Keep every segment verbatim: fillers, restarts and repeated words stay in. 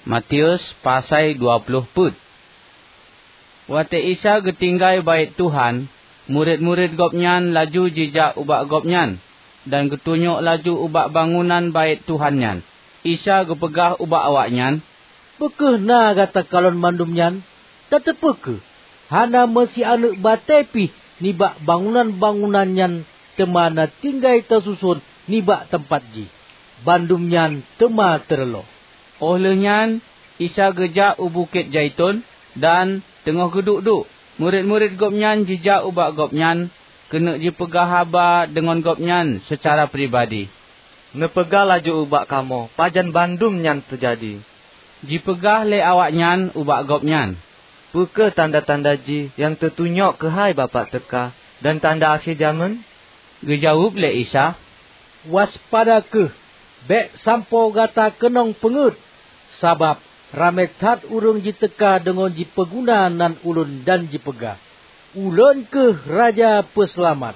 Matius pasai dua ploh peuet. Watée Isa geutinggai Baét Tuhan, murit-murit Gobnyan laju jijak ubak Gobnyan dan geutunyok laju ubak bangunan Baét Tuhan nyan. Isa geupeugah ubak awaknyan, "Peu kheueh na gata kalon mandum nyan? Tateupeue kheueh, hana meusianeuk batée pih nibak bangunan-bangunan nyan teuma na tinggai teususon nibak teumpat jih. Bandum nyan teuma teureuloh." Óh lheueh nyan Isa geujak u Bukét Zaiton dan teungoh geuduek-duek, murit-murit Gobnyan jijak ubak Gobnyan keuneuk jipeugah haba deungon Gobnyan seucara pribadi. "Neupeugah laju ubak kamoe pajan bandum nyan teujadi." Jipeugah lé awaknyan ubak Gobnyan, "Peu kheueh tanda-tanda jih nyang teutunyok keuhai Bapak teuka dan tanda akhé jamén?" Geujaweueb lé Isa, "Waspada kheueh, bék sampoe gata keunong peungeuet, sabab ramé that ureuëng jiteuka deungon jipeuguna nan Ulôn dan jipeugah, 'Ulôn kheueh Raja Peuseulamat.'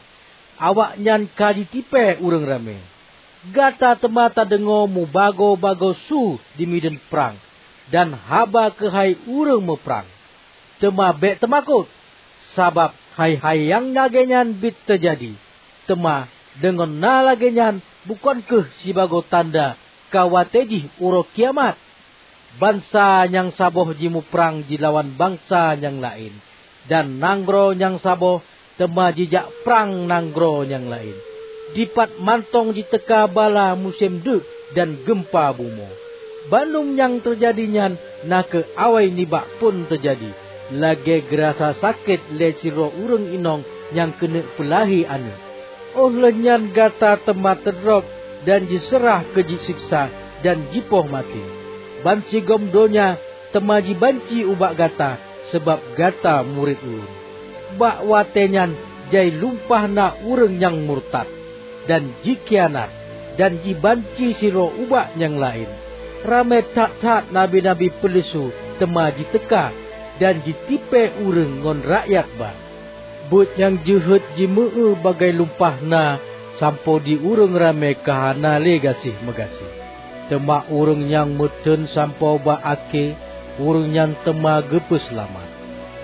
Awaknyan ka jitipée ureuëng ramé. Gata teuma tadeungoe mubagoe-bagoe su di mideuen prang dan haba keuhai ureuëng meuprang. Teuma bék teumakot, sabab hai-hai nyang lagée nyan biet teujadi. Teuma deungon na lagée nyan bukon kheueh sibagoe tanda ka watée jih uroe kiamat. Bansa nyang saboh jimuprang jilawan bansa nyang laén, dan nanggroe nyang saboh teuma jijak prang nanggroe nyang laén. Dipat mantong jiteuka bala musém deuk dan geumpa bumoe. Bandum nyang teujadi nyan na kheueh awai nibak phon teujadi, lagée geurasa sakét lé sidroe ureuëng inong nyang keuneuk peulahé aneuëk. Óh lheueh nyan gata teuma teudrob dan jiseurah keu jiseksa dan jipoh maté. Bansigom donya teuma jibanci ubak gata sabab gata murit Ulôn. Bak watée nyan jai lumpah na ureuëng nyang murtad, dan jikhianat, dan jibanci sidroe ubak nyang laén. Ramé that-that nabi-nabi peuleusu teuma jiteuka dan jitipée ureuëng ngon rakyat ba. Buet nyang jeuhet jimeu-eu bagai lumpah na sampoe di ureuëng ramé ka hana lé gaséh-meugaséh. Teuma ureuëng nyang meutheun sampoe bak akhé, ureuëng nyan teuma geupeuseulamat.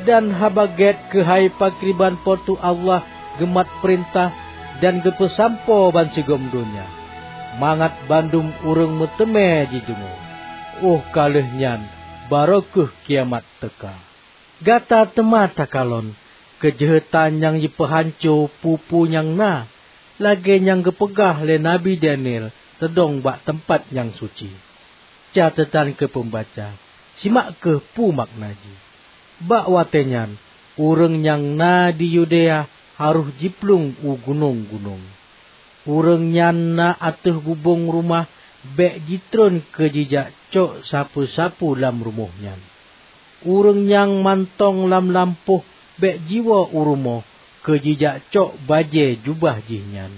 Dan Haba Gét keuhai pakriban Po teu Allah geumat peurintah dan geupeusampoe bansigom donya, mangat bandum ureuëng meuteumé jideungoe. Óh ka lheueh nyan barô kheueh kiamat teuka. Gata teuma takalon keujeuhetan nyang jipeuhanco peue-peue nyang na, lagée nyang geupeugah lé Nabi Daniel teudong bak teumpat nyang suci. Catetan keu peumbaca, simak kheueh peue makna jih. Bak watée nyan, ureuëng nyang na di Yudea harôh jiplueng u gunong-gunong. Ureuëng nyang na ateueh bubông rumoh bék jitreun keu jijak cok sapeue-sapeue lam rumoh nyan. Ureuëng nyang mantong lam lampôh bék jiwoe u rumoh keu jijak cok bajée jubah jih nyan.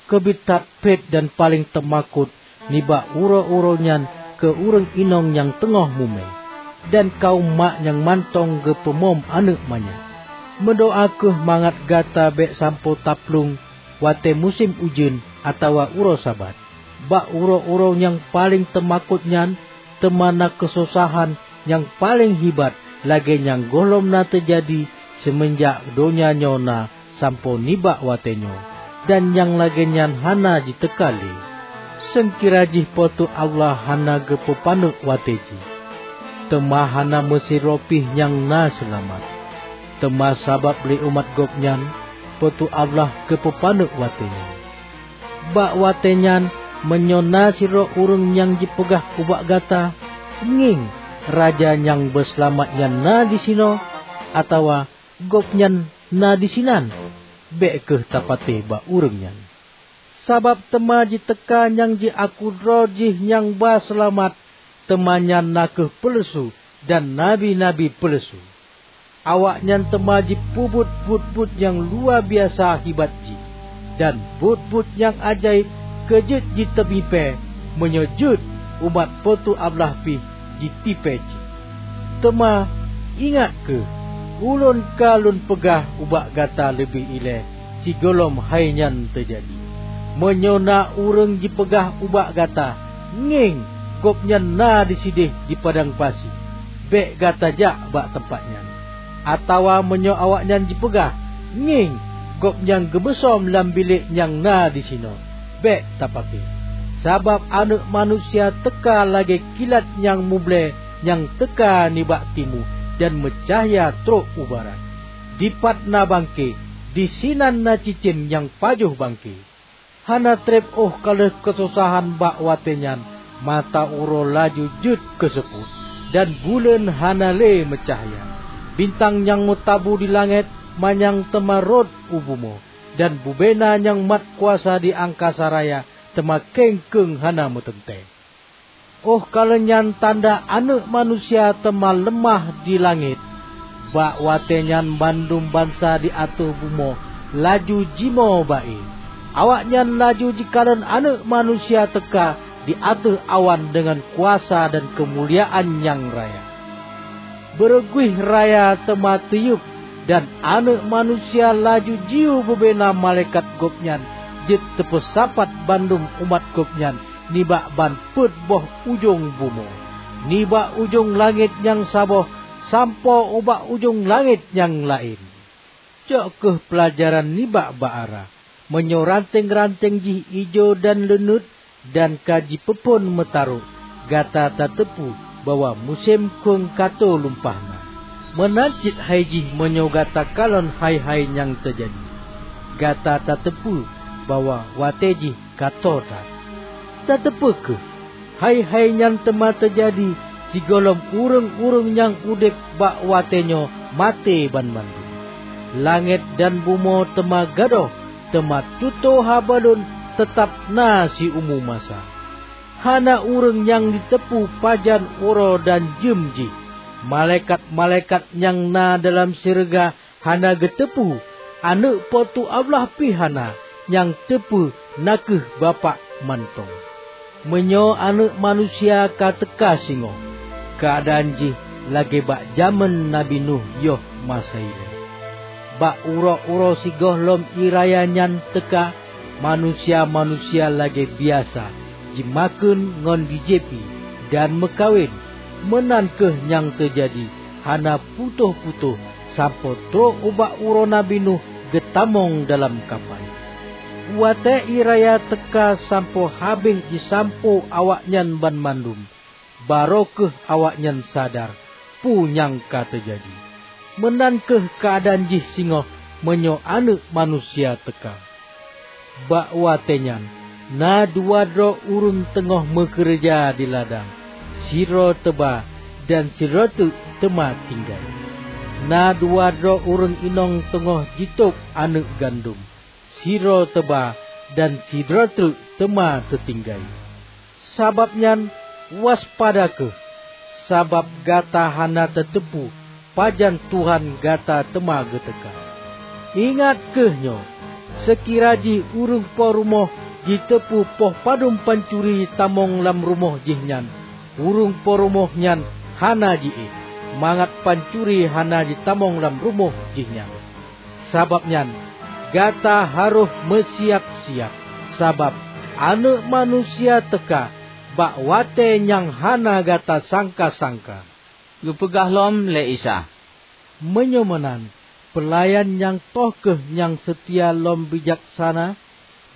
Keubiet that phét dan paleng teumakot nibak uroe-uroe nyan keu ureuëng inong nyang teungoh mumé, dan kawöm mak nyang mantong geupeumom aneuëk manyak. Meudoá kheueh mangat gata bék sampoe taplueng watée musém ujeuen atawa uroe Sabat. Bak uroe-uroe nyang paleng teumakot nyan teuma na keusosahan nyang paleng hibat lagée nyang gohlom na teujadi seumeunjak donya nyoe na sampoe nibak watée nyoe, dan nyang lagée nyan hana jiteuka lé, seungkira jih Po teu Allah hana geupeupaneuk watée jih. Teuma hana meusidroe pih nyang na seulamat. Teuma sabab lé umat Gobnyan, Po teu Allah geupeupaneuk watée nyan. Bak watée nyan, meunyoe na sidroe ureuëng nyang jipeugah ubak gata, 'Ngieng, Raja nyang beuseulamat nyan na disinoe,' atawa 'Gobnyan na disinan,' bék kheueh tapatéh bak ureuëng nyan. Sabab teuma jiteuka nyang jiaku droe jih nyang ba seulamat, teuma nyan na kheueh peuleusu dan nabi-nabi peuleusu. Awaknyan teuma jipeubuet buet-buet nyang luwa biasa hibat jih, dan buet-buet nyang ajaéb keu jeuet jiteumipée, meunyoe jeuet umat Po teu Allah pih jitipée cit. Teuma, ingat kheueh, ulôn ka lôn peugah ubak gata leubeh ilée sigohlom hai nyan teujadi. Meunyoe na ureuëng jipeugah ubak gata, 'Ngieng, gobnyan na disideh di padang pasi, bék gata jak bak teumpat nyan. Atawa meunyoe awaknyan jipeugah, 'Ngieng, gobnyan geumeusom lam bilék nyang na disinoe,' bék tapaké. Sabab Aneuëk Manusia teuka lagée kilat nyang muble nyang teuka nibak timu dan meucahya trok u barat. Dipat na bangke, disinan na cicém nyang pajoh bangke. Hana treb óh ka lheueh keusosahan bak watée nyan, mata uroe laju jeuet keu seupôt, dan buleuen hana lé meucahya. Bintang nyang meutabu di langét manyang teuma rhot u bumoe, dan bubena nyang mat kuasa di angkasa raya teuma keng-keng hana meuteuntée. Óh ka lheueh nyan tanda Aneuëk Manusia teuma leumah di langét. Bak watée nyan bandum bansa di ateueh bumoe laju jimoe ba-e. Awaknyan laju jikalon Aneuëk Manusia teuka di ateueh awan deungon kuasa dan keumuliaan nyang raya. Beureuguih raya teuma teuyueb, dan Aneuëk Manusia laju jiyue bubena malaikat Gobnyan jeuet teupeusapat bandum umat Gobnyan nibak ban peuet boh ujong bumoe, nibak ujong langét nyang saboh sampoe ubak ujong langét nyang laén. Cok kheueh peulajaran nibak bak ara. Meunyoe ranténg-ranténg jih ijo dan leuneuet dan ka jipeuphon meutarôk, gata tateupeue bahwa musém khueng ka toe lumpah na. Meunan cit hai jih meunyoe gata kalon hai-hai nyang teujadi, gata tateupeue bahwa watée jih ka toe that. Tateupeue kheueh, hai-hai nyan teuma teujadi sigohlom ureuëng-ureuëng nyang udeb bak watée nyoe maté banmandum. Langét dan bumoe teuma gadôh, teuma tutoe haba lôn teutab na siumu masa. Hana ureuëng nyang jiteupeue pajan uroe dan jeuem jih. Malaikat-malaikat nyang na dalam syeuruga hana geuteupeue, Aneuëk Po teu Allah pih hana, nyang teupeue na kheueh Bapak mantong. Meunyoe Aneuëk Manusia ka teuka singoh, keuadaan jih lagée bak jamén Nabi Nuh yoh masa ilée. Bak uroe-uroe sigohlom ié raya nyan teuka, manusia-manusia lagée biasa jimakheun ngon jijieb ié dan meukawen. Meunan kheueh nyang teujadi hana putôh-putôh sampoe trok ubak uroe Nabi Nuh geutamong dalam kapai. Watée ié raya teuka sampoe habéh jisampoe awaknyan banmandum, barô kheueh awaknyan sadar peue nyang ka teujadi. Meunan kheueh keuadaan jih singoh meunyoe Aneuëk Manusia teuka. Bak watée nyan, na dua droe ureuëng teungoh meukeureuja di ladang, sidroe teuba dan sidroe treuk teuma tinggai. Na dua droe ureuëng inong teungoh jitôb aneuëk gandom, sidroe teuba dan sidroe treuk teuma teutinggai. Sabab nyan, waspada kheueh, sabab gata hana tateupeue pajan Tuhan gata teuma geuteuka. Ingat kheueh nyoe, seukira jih ureuëng po rumoh jiteupeue poh padum pancuri tamong lam rumoh jih nyan, ureuëng po rumoh nyan hana jiéh, mangat pancuri hana jitamong lam rumoh jih nyan. Sabab nyan, gata harôh meusiab-siab, sabab Aneuëk Manusia teuka bak watée nyang hana gata sangka-sangka. Geupeugah lom lé Isa, "Meunyoe meunan, peulayan nyang toh kheueh nyang seutia lom bijaksana,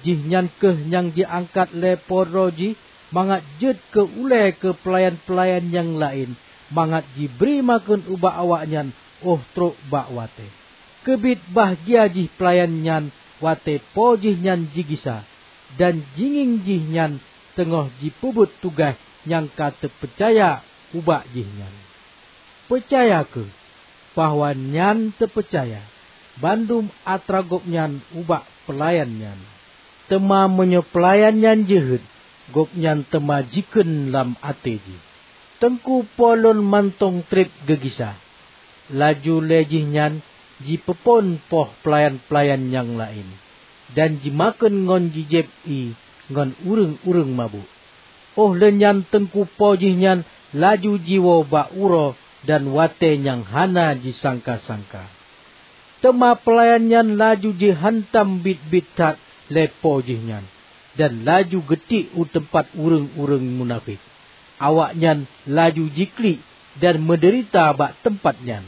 jihnyan kheueh nyang jiangkat lé po droe jih mangat jeuet keu ulée keu peulayan-peulayan nyang laén, mangat jibri makheun ubak awaknyan óh trok bak watée. Keubiet bahgia jih peulayan nyan watée po jihnyan jigisa, dan jingieng jihnyan teungoh jipeubuet tugaih nyang ka teupeucaya ubak jihnyan. Peucaya kheueh bahwa nyan teupeucaya bandum atra gobnyan ubak peulayan nyan. Teuma meunyoe peulayan nyan jeuhet, gobnyan teuma jikheun lam até jih, 'Teungku po lôn mantong treb geugisa.' Laju lé jihnyan jipeuphon poh peulayan-peulayan nyang laén, dan jimakheun ngon jijieb ié ngon ureuëng-ureuëng mabök. Óh lheueh nyan teungku po jihnyan laju jiwoe bak uroe dan watée nyang hana jisangka-sangka. Teuma peulayan nyan laju jihantam biet-biet that lé po jihnyan, dan laju geutiek u teumpat ureuëng-ureuëng munafék. Awaknyan laju jiklik dan meudeurita bak teumpat nyan.